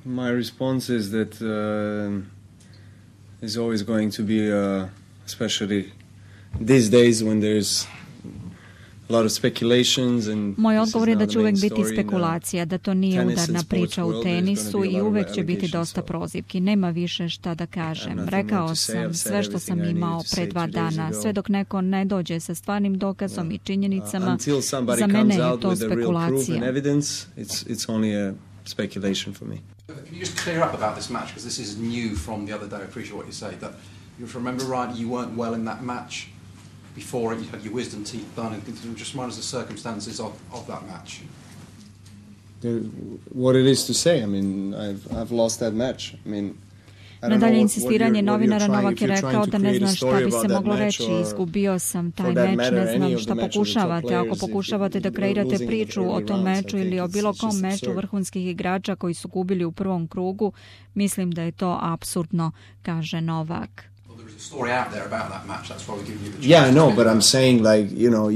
My response is that is always going to be, especially these days when there's a lot of speculations and moj odgovor je da će uvek biti spekulacija, da to nije udarna priča u tenisu i uvek će biti dosta prozivki. Nema više šta da kažem. Rekao sam sve što sam imao pre 2 dana. Sve dok neko ne dođe sa stvarnim dokazom i činjenicama, za mene je to spekulacija. It's only a speculation for me. Can you just clear up about this match, because this is new from the other day. I appreciate what you say, that if I remember right, you weren't well in that match. Before it, you had your wisdom teeth done, and just remind us the circumstances of that match. What it is to say, I mean, I've lost that match. I mean, Nadalje insistiranje novinara, Novak je rekao da ne zna šta bi se moglo reći, izgubio sam taj meč, ne znam šta pokušavate. Ako pokušavate da kreirate priču o tom meču ili o bilo kom meču vrhunskih igrača koji su gubili u prvom krugu, mislim da je to apsurdno, kaže Novak. Story out there about that match. That's probably giving you the chance. Yeah, I know, but I'm saying, like, you know,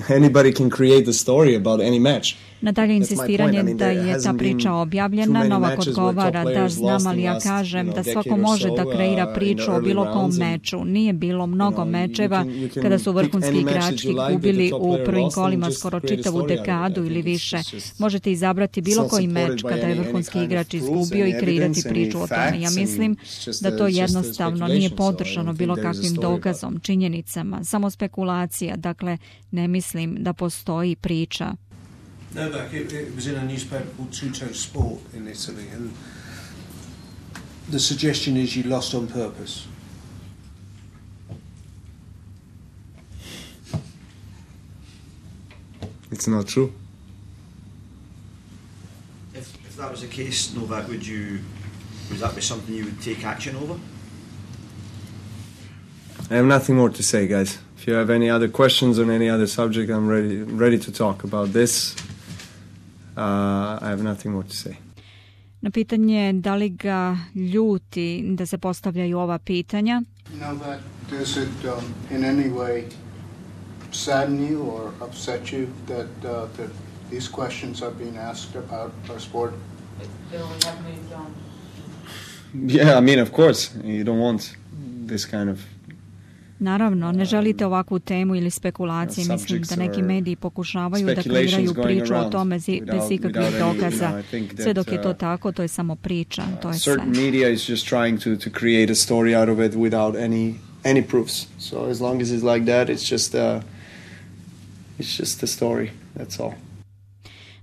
anybody can create a story about any match. Nadalje insistiranje da je ta priča objavljena, Novak odgovara da znam, ali ja kažem da svako može da kreira priču o bilo kom meču. Nije bilo mnogo mečeva kada su vrhunski igrači gubili u prvim kolima skoro čitavu dekadu ili više. Možete izabrati bilo koji meč kada je vrhunski igrač izgubio i kreirati priču o tome. Ja mislim da to jednostavno nije podržano bilo kakvim dokazom, činjenicama, samo spekulacija. Dakle, ne mislim da postoji priča. Novak, it was in a newspaper called Tutto Sport in Italy, and the suggestion is you lost on purpose. It's not true. If that was the case, Novak, would that be something you would take action over? I have nothing more to say, guys. If you have any other questions on any other subject, I'm ready to talk about this. I have nothing more to say. Na pitanje da li ga ljuti da se postavljaju ova pitanja. Novak, does it in any way sadden you or upset you that these questions are being asked about our sport? Yeah, I mean, of course, you don't want this kind of. Naravno, ne želite ovakvu temu ili spekulacije. Mislim da neki mediji pokušavaju da kreiraju priču o tome bez ikakvih dokaza. Sve dok je to tako, to je samo priča, to je sve. Certain media is just trying to create a story out of it without any proofs. So as long as it's like that, it's just a story. That's all.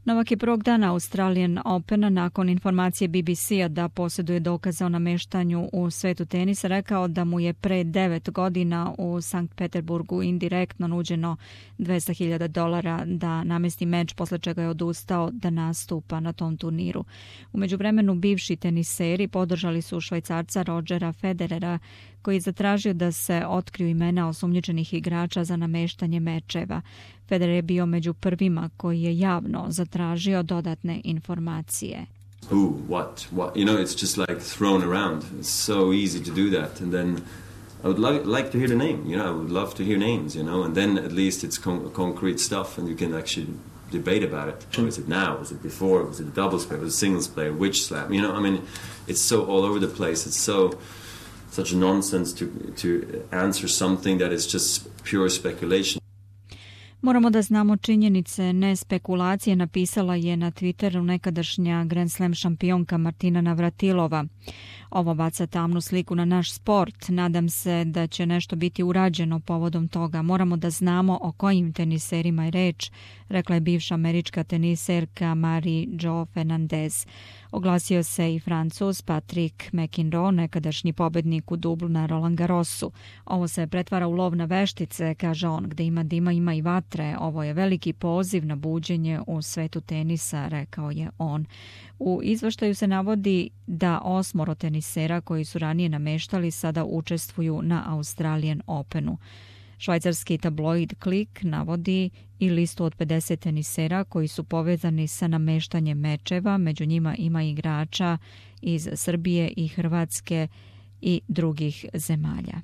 Novak je prvog dana Australian Opena nakon informacije BBC-a da posjeduje dokaze o nameštanju u svetu tenisa rekao da mu je pre 9 godina u Sankt Peterburgu indirektno nuđeno $200,000 da namesti meč, posle čega je odustao da nastupa na tom turniru. U međuvremenu bivši teniseri podržali su Švajcarca Rodgera Federera koji je zatražio da se otkriju imena osumnjičenih igrača za nameštanje mečeva. Federer je bio među prvima koji je javno zatražio dodatne informacije. Who, what, you know, it's just like thrown around. It's so easy to do that. And then I would like to hear the name, you know, I would love to hear names, you know, and then at least it's concrete stuff and you can actually debate about it. Was it now? Was it before? Was it a doubles player? Was it a singles player? Which slam? You know, I mean, it's so all over the place. It's such nonsense to answer something that is just pure speculation. Moramo da znamo činjenice, ne spekulacije, napisala je na Twitteru nekadašnja Grand Slam šampionka Martina Navratilova. Ovo baca tamnu sliku na naš sport. Nadam se da će nešto biti urađeno povodom toga. Moramo da znamo o kojim teniserima je reč, rekla je bivša američka teniserka Marie-Jo Fernandez. Oglasio se i Francuz Patrick McEnroe, nekadašnji pobednik u dublu na Roland Garrosu. Ovo se pretvara u lov na veštice, kaže on, gde ima dima, ima i vatre. Ovo je veliki poziv na buđenje u svetu tenisa, rekao je on. U izveštaju se navodi da 8 tenisera koji su ranije nameštali sada učestvuju na Australian Openu. Švajcarski tabloid Klik navodi i listu od 50 tenisera koji su povezani sa nameštanjem mečeva. Među njima ima igrača iz Srbije i Hrvatske i drugih zemalja.